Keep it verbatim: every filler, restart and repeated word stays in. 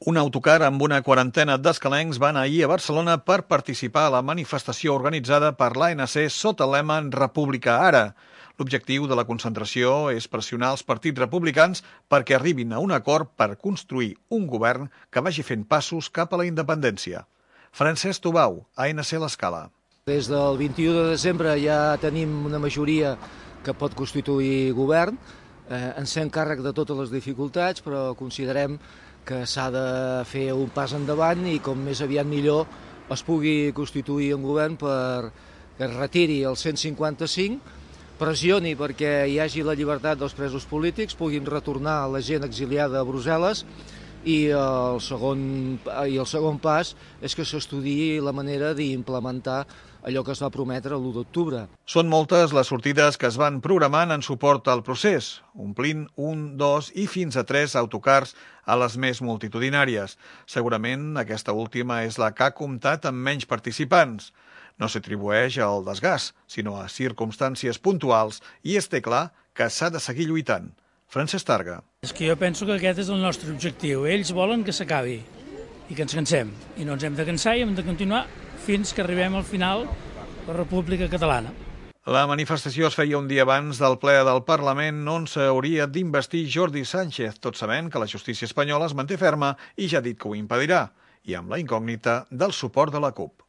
Un autocar amb una quarantena d'escalencs va anar ahir a Barcelona per participar a la manifestació organitzada per l'A N C sota el lema República Ara. L'objectiu de la concentració és pressionar els partits republicans perquè arribin a un acord per construir un govern que vagi fent passos cap a la independència. Francesc Tubau, A N C L'Escala. Des del vint-i-u de desembre ja tenim una majoria que pot constituir govern. Eh, ens fem càrrec de totes les dificultats, però considerem que s'ha de fer un pas endavant i com més aviat millor es pugui constituir un govern per que es retiri el cent cinquanta-cinc, pressioni perquè hi hagi la llibertat dels presos polítics, puguin retornar la gent exiliada a Brussel·les i el segon, i el segon pas és que s'estudiï la manera d'implementar allò que es va prometre l'u d'octubre. Són moltes les sortides que es van programant en suport al procés, omplint un, dos i fins a tres autocars a les més multitudinàries. Segurament aquesta última és la que ha comptat amb menys participants. No s'atribueix al desgast, sinó a circumstàncies puntuals i es té clar que s'ha de seguir lluitant. Francesc Targa. És que jo penso que aquest és el nostre objectiu. Ells volen que s'acabi i que ens cansem. I no ens hem de cansar i hem de continuar fins que arribem al final de la República Catalana. La manifestació es feia un dia abans del ple del Parlament on s'hauria d'investir Jordi Sánchez, tot sabent que la justícia espanyola es manté ferma i ja ha dit que ho impedirà, i amb la incògnita del suport de la CUP.